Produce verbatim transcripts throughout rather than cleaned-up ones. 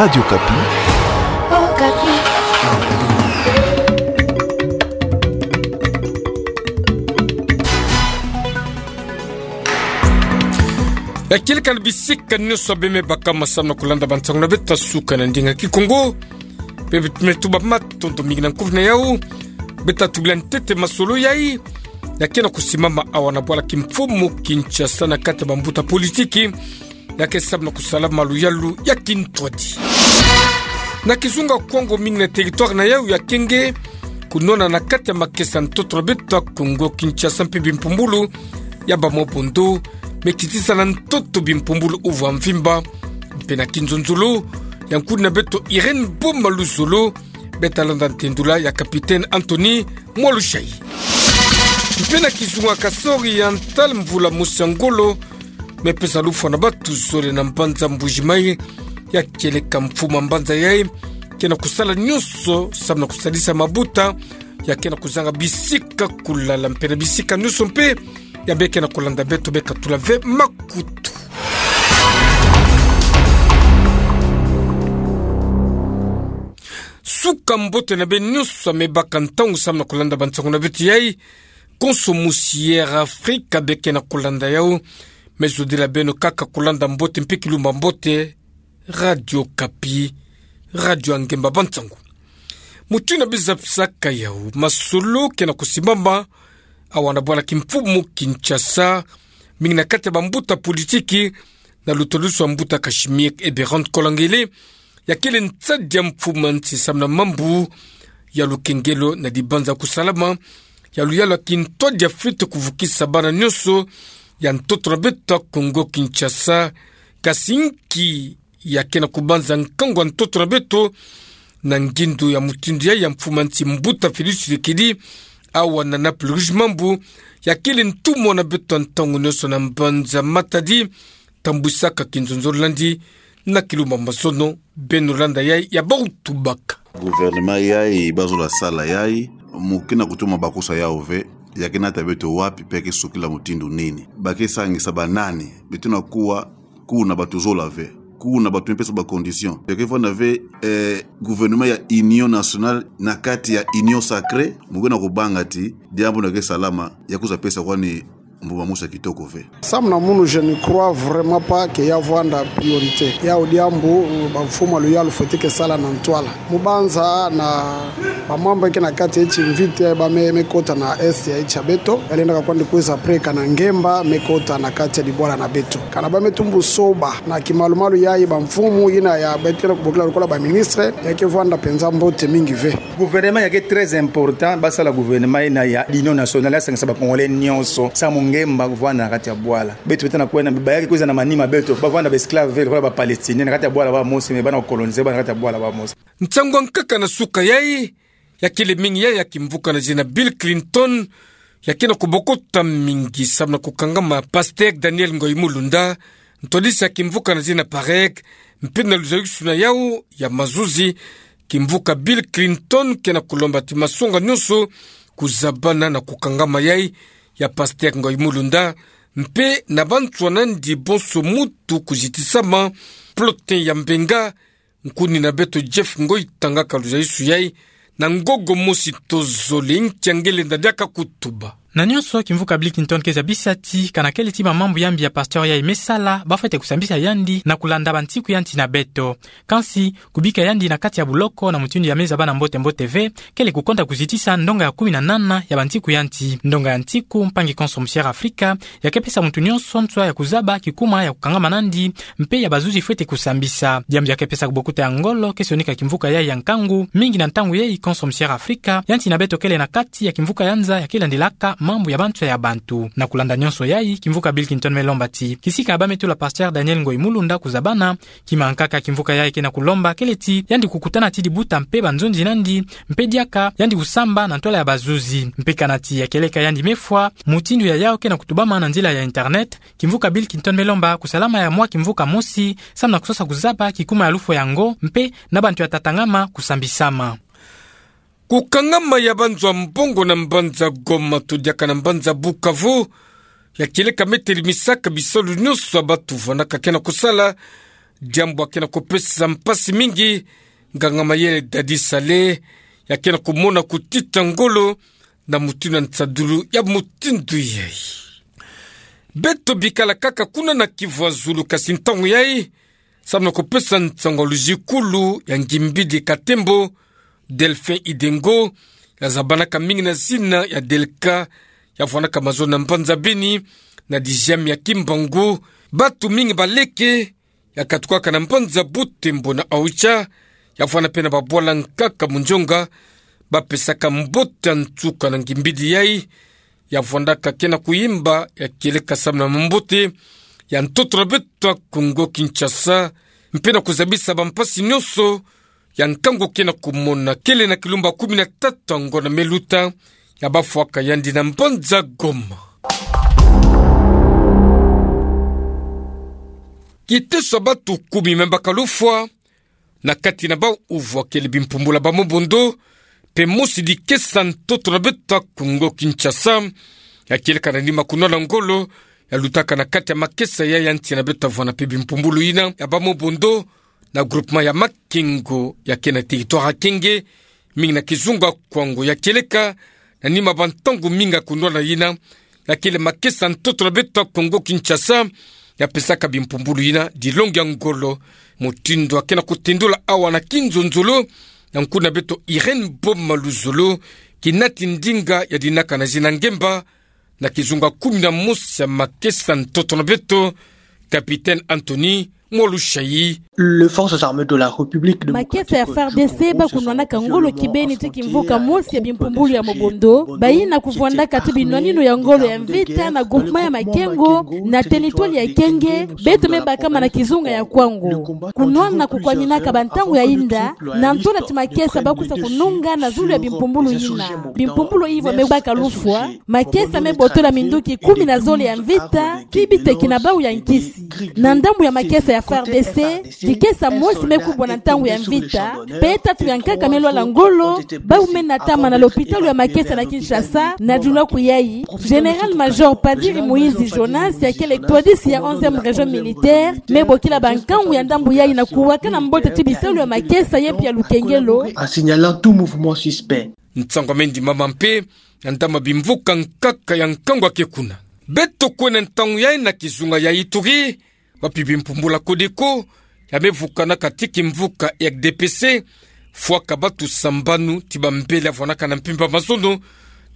Radio Okapi. Okapi. Ya kieleka na bisika nyonso beme baka masamu na kulanda bansangu na beto ya suka na ndinga Kikongo. Bebe tume tuba matondo mingi na nkufi na yau. Beta tubila ntete masolo yai. Ya kena kusimama awa na bwala kimfumu Kinshasa na kati ya bambuta politiki. Ya ke samu na kusala maluyalu ya kintwadi. Na kizunga Kongo mingi na territoire na yau ya kenge, kunona na kati ya makesa ntoto na beto ya Kongo Kinshasa mpe bimpumbulu ya bamobondo, me kitisa na ntoto bimpumbulu uvwa mvimba, mpe na kinzonzolo, ya nkuni na beto Irène Boma Luzolo, beta landa ntendula ya capitaine Anthony Mwalushai. Mpe na kizunga Kasai Oriental mvula mosi ya ngolo, me pesa lufwa na batu zole na mbanza Mbuji-Mayi, ya kieleka mfumu a mbanza yai, kena kusala nyonso, samu na kusalisa mabuta, ya kena kuzanga bisika kulala, mpe na bisika nyonso mpe, ya be kena kulanda beto be katula ve makutu. Suka mbote na beno nyonso ya me baka ntangu samu na kulanda bansangu na beto yai, konso mosi ya Air Afrika be kena kulanda yau, me zodila beno kaka kulanda mbote mpe kilumba mbote, Radio Okapi, radio ya ngemba bansangu. Mutindu na beno zabisaka yau, masolo kena kusimama awa na bwala kimfumu Kinshasa, mingi na kati ya bambuta politiki, na lutwadusu a mbuta Casimir Eberhard Kolangele, ya kele nsadi ya mfumu a nsi samu na mambu ya lukengelo na dibanza kusalama ya luyalu ya kintwadi ya fwete kuvukisa bana nyonso ya ntoto na beto ya Kongo Kinshasa, kasi nki ya kena kubanza nkangu a ntoto na beto, na ngindu ya mutindu yai ya mfumu a nsi mbuta Félix Tshisekedi, awa na Naples Rouge mambu, ya kele ntumwa na beto ya ntangu nyonso na mbanza Matadi, tambwisaka kinzonzolo nandi, na kilumba mazono, beno landa yai ya bau tubaka. Gouvernement yai, bazola sala yai, mu kena kutuma bakisa yau ve, ya ke nata beto wapi mpe ya ke sukila mutindu nini. Ba ke sangisa banani, beto na kuwa, kuna bato zola ve. Kuna bato me pesa ba condition. Ya ke vwanda ve, eh, gouvernement ya union nationale na kati ya union sacrée, mu kena kubanga ti, diambu na ke salama, ya kwiza pesa kwani mbuma mosi ya kitoko ve. Samu na munu, je ne crois vraiment pas que ya vwanda priorité. Yau diambu, bamfumu a luyalu fwete ke sala na ntwala. Mu banza na bamambu ya ke na kati ya timvita ya ba me, me kota na est ya nsi ya beto. Ya lenda ka kwandi kwiza preka na ngemba, me kota na kati ya dibwala na beto. Kana ba me tumbu soba, na kimalumalu yai bamfumu yina ya beto kena kubokila lokola ba ministre, ya ke vwanda mpenza mbote mingi ve. Gouvernement ya ke très important, basala gouvernement yina ya union nationale, ya sangisa ba Congolais nyonso, samu ngemba kuvwanda na kati ya bwala. Beto beto na kwenda, ba ya ke kwiza na manima beto, ba vwanda ba esclave ve, lokola ba Palestiniens, na kati ya bwala bamosi, me bana kucoloniser, ba na kati ya bwala bamosi. Nsangu ya nkaka na suka yai, ya kele mingi yai ya kimvuka na zina Bill Clinton, ya kena kubokota mingi samu na kukangama Pasteur Daniel Ngoyi Mulunda, ntwadisi ya kimvuka na zina PAREC, mpe na luzayusu na yau ya mazuzi, kimvuka Bill Clinton kena kulomba ti masonga nyonso kuzabana na kukangama yai ya Pasteur Ngoyi Mulunda, mpe na banswa nandi bonso mutu kuzitisama, plotin ya mbenga, nkuni na beto Jeff Ngoyi tangaka luzayusu yai, na ngogo mosi tozole nki ya nge lenda diaka kutuba. Na nyonso kimvuka Bill Clinton ke zabisa ti, kana kele ti bamambu ya mbi ya pasteur yai me sala, ba fwete kusambisa yandi, na kulanda bantiku ya nsi na beto. Kansi, kubika yandi na kati ya buloko na mutindu ya me zabana mbote mbote ve, kele kukonda kuzitisa ndonga ya kumi na nana ya bantiku ya nsi. Ndonga ya ntiku, mpangi konso musi ya Afrika, ya ke pesa muntu nyonso nswa ya kuzaba kikuma ya kukangama nandi, mpe ya bazuzi fwete kusambisa. Diambu ya ke pesa kubokuta ya ngolo, ke sionika kimvuka yai ya nkangu, mingi na ntangu yai konso musi ya Afrika, ya nsi na beto kele na kati ya kimvuka ya nza ya ke landilaka mambu ya banswa ya bantu. Na kulanda nyonso yai, kimvuka Bill Clinton me lomba ti, kisika ba me tula Pasteur Daniel Ngoyi Mulunda kuzabana, kima nkaka kimvuka yai kena kulomba kele ti, yandi kukutana ti dibuta mpe banzonzi nandi, mpe diaka, yandi kusamba na ntwala ya bazuzi. Mpe kana ti ya kieleka yandi me fwa, mutindu ya yau kena kutubama na nzila ya internet, kimvuka Bill Clinton me lomba kusalama ya mwa kimvuka mosi, samu na kusosa kuzaba kikuma ya lufwa yango, mpe na bantu ya tatangama kusambisama. Kukangama ya banzwa mbongo na mbanza Goma to diaka na mbanza Bukavu, ya kieleka me telimisaka bisalu nyonso ya batu vwandaka kena kusala, diambu ya ke na kupesa mpasi mingi nganga mayele Dadi Saleh, ya ke na kumona kutita ngolo na mutindu na nsadulu ya mutindu yai. Beto bikala kaka kuna na Kivu ya Zulu, kasi ntangu yai, samu na kupesa nsangu ya luzikulu ya ngimbidi Katembo, Delphin Idengo, ya zabanaka mingi na zina ya Delka, ya vwanaka mazono na mbanza Beni, na dixième ya Kimbangu, batu mingi baleke, ya katukaka na mbanza Butembo na Oicha, ya vwana mpe na babwala nkaka munzonga, bapesaka mbote ya nsuka na ngimbidi yai, ya vwandaka ke na kuyimba, ya kieleka samu na mambote ya ntoto na beto ya Kongo Kinshasa, mpe na kuzabisa bampasi nyonso ya nkangu ke na kumona, kele na kilumbu kumi na tatu ya ngonda me luta, ya bafwaka yandi na mbanza Goma. Kiteso ya batu kumi me baka lufwa, na kati na bau uvwakele bimpumbulu ya ba mobondo, mpe mosi dikesa ntoto na beto ya Kongo Kinshasa, ya kieleka na nima kunwana ngolo ya lutaka na kati ya makesa ya, ya nsi na beto ya vwana mpe bimpumbulu yina ya ba mobondo, na groupement ya Makengo ya ke na territoire ya Kenge, mingi na kizunga Kwango, ya kieleka na nima ba ntangu mingi ya kunwana yina, ya kele makesa ntoto na beto ya Kongo Kinshasa, ya pesaka bimpumbulu yina dilongi ya ngolo. Mutindu ya ke na kutendula awa na kinzonzolo, ya nkuna beto Irène Boma Luzolo, kinati ndinga ya dinaka na zina ngemba, na kizunga kumi na mosi ya makesa ntoto na beto, Capitaine Anthony Mwalushayi. Les forces armées de la République démocratique du Congo se sont offensives en Afrique centrale. Makesa ya F A R D C ba kunwanaka ngolo kibeni ti kimvuka mosi ya bimpumbulu ya mobondo, bayina kuvwandaka ti binwaninu ya ngolo ya mvita na groupement ya Makengo, na territoire ya Kenge, beto me bakama na kizunga ya Kwango. Kunwana kukwaminaka ba ntangu ya inda, na ntola ti makesa ba kwiza kununga na zulu ya bimpumbulu yina. Bimpumbulu ivwa me baka lufwa, makesa me botola minduki kumi na zole ya mvita, kibiteki na bau ya nkisi. Na ndambu ya makesa ya F A R D C, dikesa mosi me kubwa na ntangu ya mvita, mpe tatu ya nkaka me lwala ngolo, bau me natama na lopitalo ya makesa na Kinshasa, na diluaku yayi, Général-major Padiri Moïse Jonas, ya kele twadisi ya onzième région militaire, me bokila ba nkangu ya ndambu yayi na kuwakana mbote ti bisalu ya makesa ye mpe ya lukengelo, en signalant tout mouvement suspect. Nsangu ya me ndimama mpe na ndambu ya bimvuka nkaka ya nkangu ya ke kuna. Beto kwenda ntangu yayi na kizunga ya Ituri, wapi bimpumbulu ya Codeco ya me vukanaka ti kimvuka R D P C fwaka batu sambanu ti bambele ya vwanaka na mpimpa mazono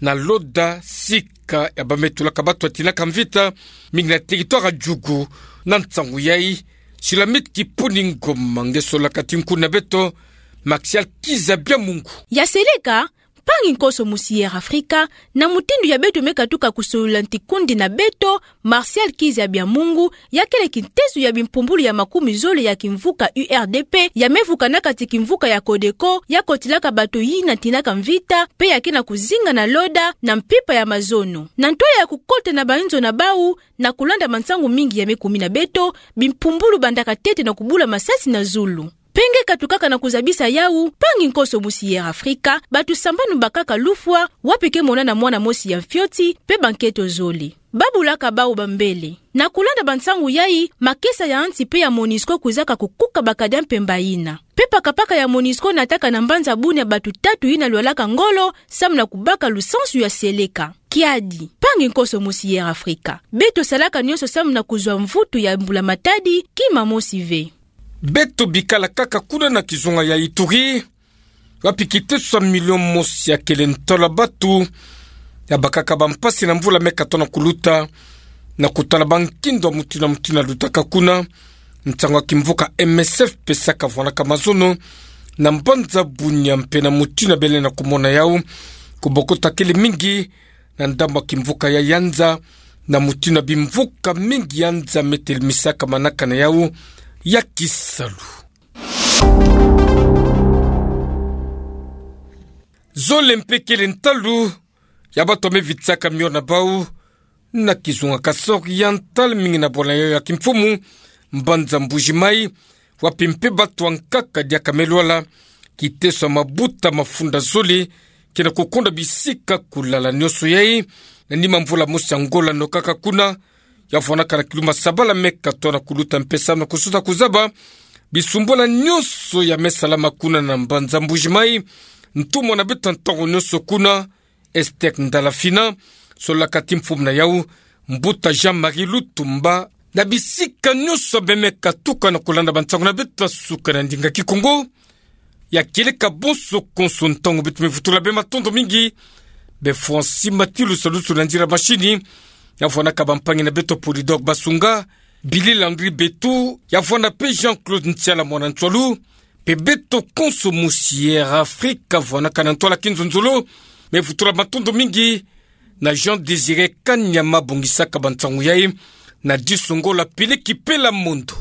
na Loda, sika ya ba me tulaka batu ya tinaka mvita, mingi na territoire ya Djugu. Na nsangu yayi, Shulamit Kipuni Ngoma nge solaka ti nkuna beto, Martial Kizabia Mungu. Ya seleka, mpangi nkoso musi Air Afrika, na mutindu ya beto me katuka kusolola ntikundi na beto, Martial Kizabia Mungu, ya kele kiteso ya bimpumbulu ya makumi zole ya kimvuka U R D P, ya me vukanaka ti kimvuka ya Codeco, ya kotilaka bato yina tinaka mvita, mpe ya ke na kuzinga na Loda, na mpimpa ya mazono. Na ntwala ya kukota na ba nzo na bau, na kulanda mansangu mingi ya me kumi na beto, bimpumbulu bandaka ntete na kubula masasi na zulu. Mpe nge katukaka na kuzabisa yau, mpangi nkoso musi Air Afrika, bato sambanu bakaka lufwa, wapi ke monana mwana mosi ya mfioti, mpe banketo zole. Ba bulaka bau bambele. Na kulanda bansangu yayi, makesa ya nsi mpe ya Monusco kwizaka kukuka bakadi ya mpemba yina. Mpe pakapaka ya Monusco nataka na mbanza Bunia bato tatu yina lwalaka ngolo, samu na kubaka lusansu ya seleka. Kiadi, mpangi nkoso musi Air Afrika. Beto salaka nyonso samu na kuzwa mvutu ya mbula matadi, kima mosi ve. Beto bikala kaka kuna na kizunga ya Ituri, wapi kiteso ya milio mosi ya kele ntwala bato ya bakaka bampasi na mvula me katono kuluta, na kutala bankindo ya mutindu na mutindu ya lutaka kuna. Nsangu ya kimvuka M S F pesaka vwanaka mazono na mbanza Bunia mpe na mutindu bele na kumona yau kubokota kele mingi na ndambu ya kimvuka ya Yanza, na mutindu bimvuka mingi Yanza me telmisaka manaka na yau ya kisalu. Zole mpe kele ntalu ya bato me vitsaka mio na bau na kizunga Kasaï Oriental, mingi na bwala yau ya kimfumu, mbanza Mbuji-Mayi, wapi mpe bato ya nkaka diaka me lwala, kiteso ya mabuta mafunda zole ke na kukonda bisika kulala. Nyonso yayi na nima mvula mosi ya ngola no kaka kuna, Ya vwanaka na kiluma sabala meka tona kuluta mpesa na kusuta kuzaba bisumbula nyonso ya me salama kuna na mbanza Mbuji-Mayi, ntumwa na beto ya ntango nyonso kuna, Estek Ndalafina, solaka ti mfumu na yau, Mbuta Jean-Marie Lutumba, na bisika nyonso bemeka tuka na kulanda bansangu na beto ya suka na ndinga Kikongo. Ya kieleka bonso konso ntangu beto me vutula bê matondo mingi. Bê Francis Matilu, salusu na nzila mashini. Ya vwanaka bampangi na beto Polydor Basunga, Billy Landry Betu, ya vwana pe Jean-Claude Ntiala mwana Ntswalu, pe beto konso musi Air Afrique, vwanaka na ntwala Kinzonzolo, me vutula matondo mingi na Jean Désiré Kanyama bongisaka bansangu yayi, na Disongola Peleki Pela Mondo.